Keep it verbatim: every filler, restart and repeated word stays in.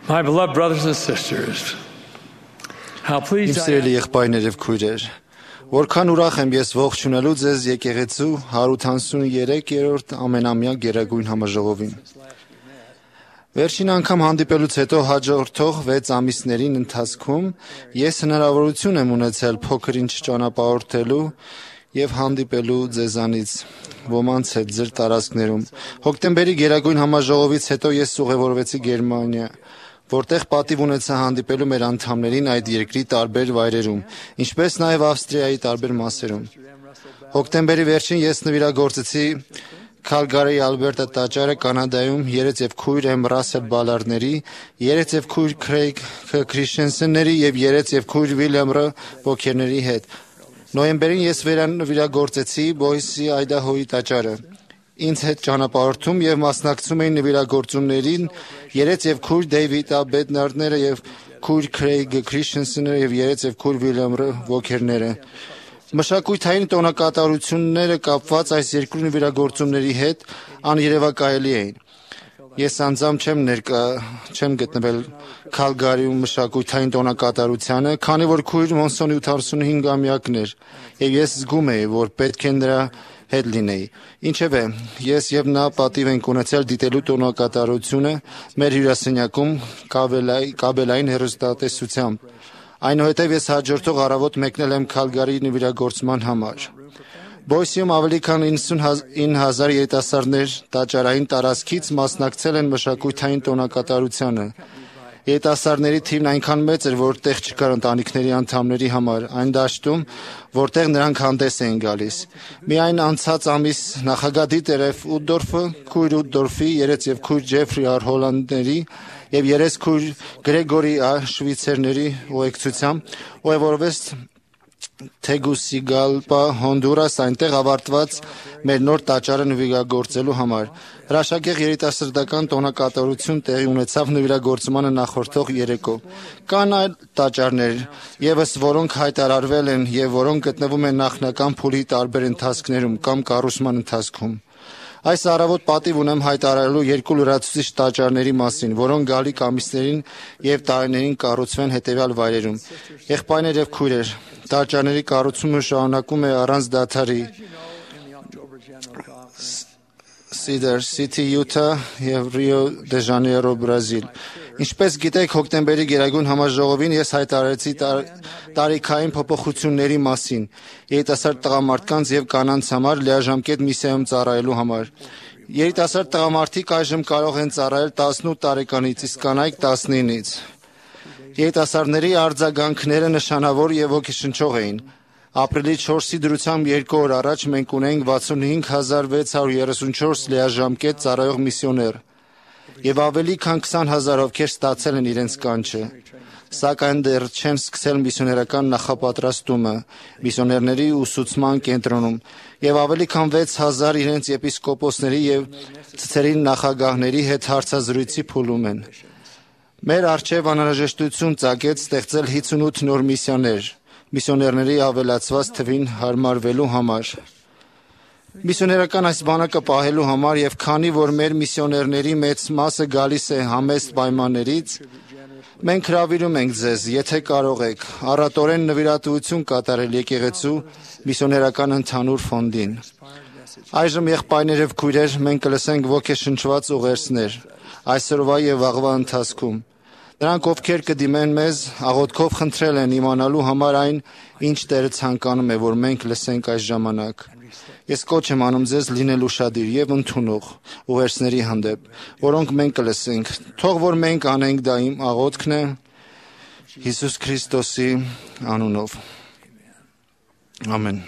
My beloved brothers and sisters, how Իմ pleased I սիրելի am եղբայրներ եւ քույրեր, որքան ուրախ եմ ես ողջունելու ձեզ եկեղեցու հարյուր հանասուներեքերորդ ամենամյա գերագույն համաժողովին։ Վերջին անգամ հանդիպելուց հետո հաջորդող վեց ամիսներին ընթացքում ես հնարավորություն եմ ունեցել փոքր-ինչ ճանապարհորդելու եւ հանդիպելու ձեզանից ոմանց հետ ձեր տարածքներում։ Հոկտեմբերի գերագույն համաժողովից հետո ես ուղևորվեցի Գերմանիա, որտեղ պատիվ ունեցա հանդիպելու մեր անդամներին այդ երկրի տարբեր վայրերում, ինչպես նաև Ավստրիայի տարբեր մասերում։ Հոկտեմբերի վերջին ես նվիրագործեցի Քալգարիի Ալբերտա տաճարը Կանադայում երեց եւ քույր Էմ Ռասել Բալարների, երեց եւ քույր Քրեյգ Քրիշենսենների եւ երեց եւ քույր Վիլյամ Ռ. Բոքերների հետ։ Նոյեմբերին ես վերանվիրագործեցի Բոյսի Այդահոյի տաճարը։ Ինձ հետ ճանապարհորդում եւ մասնակցում էին նվիրագործումներին երեց եւ քույր Դեյվիդ Ա. Բեդնարդները եւ քույր Քրեյգ Քրիշենսենները եւ երեց եւ քույր Վիլյամ Ռ. Բոքերները։ Մշակութային տոնակատարությունները կապված այս երկու նվիրագործումների հետ աներևակայելի էին։ Ես անձամբ չեմ ներկա չեմ գտնվել Քալգարիում մշակութային տոնակատարությանը, քանի որ քույր Մոնսոնի ութանասունհինգամյակն էր, եւ ես զգում էի, որ պետք է նրա հետ լինեի։ Ինչևէ, ես եւ նա պատիվ ենք ունեցել դիտելու տոնակատարությունը մեր հյուրասենյակում կաբելային հեռուստատեսությամբ։ Այնուհետև ես հաջորդող առավոտ մեկնել եմ Քալգարիի նվիրագործման համար։ Բոյսիում ավելի քան իննսունինը հազար երիտասարդներ տաճարային տարածքից մասնակցել են մշակութային տոնակատարությանը։ Երիտասարդների թիվն այնքան մեծ էր, որ տեղ չկար ընտանիքների անդամների համար այն դաշտում, որտեղ նրանք հանդես էին գալիս։ Միայն անցած ամիս նախագահ Դիտերև Ուդդորֆը, քույր Ուդդորֆի, երեց եւ քույր Ջեֆրի Ար Հոլանդների եւ երես քույր Գրեգորի Ա. Շվիցերների ուղեկցությամբ ուղևորվեց Թեգուսիգալպա, Հոնդուրաս, այնտեղ ավարտված մեր նոր տաճարը նվիրագործելու համար։ Հրաշագեղ երիտասարդական տոնակատարություն տեղի ունեցավ նվիրագործմանը նախորդող երեկո։ Կան այլ տաճարներ եւս, որոնք հայտարարվել են եւ որոնք գտնվում են նախնական փուլի տարբեր ընթացքներում կամ կառուցման ընթացքում։ Այս առավոտ պատիվ ունեմ հայտարարելու երկու լրացուցիչ տաճարների մասին, որոնք գալիք ամիսներին եւ տարիներին կառուցվեն հետեւյալ վայրերում։ Եղբայրներ եւ քույրեր, տաճարների կառուցումը շարունակում է առանց դադարի Cedar City, Utah եւ Rio de Janeiro, Բրազիլ։ Ինչպես գիտեք, հոկտեմբերի գերագույն համաժողովին ես հայտարարեցի տարիքային փոփոխությունների մասին երիտասարդ տղամարդկանց եւ կանանց համար լիաժամկետ միսիայում ծառայելու համար։ Երիտասարդ տղամարդիկ այժմ կարող են ծառայել տասնութ տարեկանից, իսկ կանայք տասնինից։ Երիտասարդների արձագանքները նշանավոր եւ ոգեշնչող էին։ Ապրիլի չորսի դրությամբ երկու օր առաջ մենք ունենք վաթսունհինգ հազար վեց հարյուր երեսունչորս լիաժամկետ ծառայող միսիոներ եւ ավելի քան քսան հազար ովքեր ստացել են իրենց կանչը, սակայն դեռ չեն սկսել միսիոներական նախապատրաստումը միսիոներների ուսուցման կենտրոնում եւ ավելի քան վեց հազար իրենց եպիսկոպոսների եւ ցցերի նախագահների հետ հարցազրույցի փուլում են։ Մեր արչեւ անհրաժեշտություն ծագեց ստեղծել հիսունութ նոր միսիաներ միսիոներների ավելացված թվին հարմարվելու համար։ Միսիոներական այս բանակը պահելու համար եւ քանի որ մեր միսիոներների մեծ մասը գալիս է համեստ պայմաններից, մենք հրավիրում ենք ձեզ, եթե կարող եք, առատորեն նվիրատվություն կատարել եկեղեցու միսիոներական ընդհանուր ֆոնդին։ Այժմ եղբայրներ եւ քույրեր, մենք կլսենք ոգեշնչված ուղերձներ այսօրվա եւ վաղվա ընթացքում։ Նրանք, ովքեր կդիմեն մեզ, աղոթքով խնդրել են իմանալու համար այն, ինչ Տերը ցանկանում է, որ մենք լսենք այս ժամանակ։ Ես կոչ եմ անում ձեզ լինել ուշադիր եւ ընդունող ուղերձների հանդեպ, որոնք մենք կլսենք։ Թող որ մենք անենք դա իմ աղոթքն է Հիսուս Քրիստոսի անունով։ Ամեն։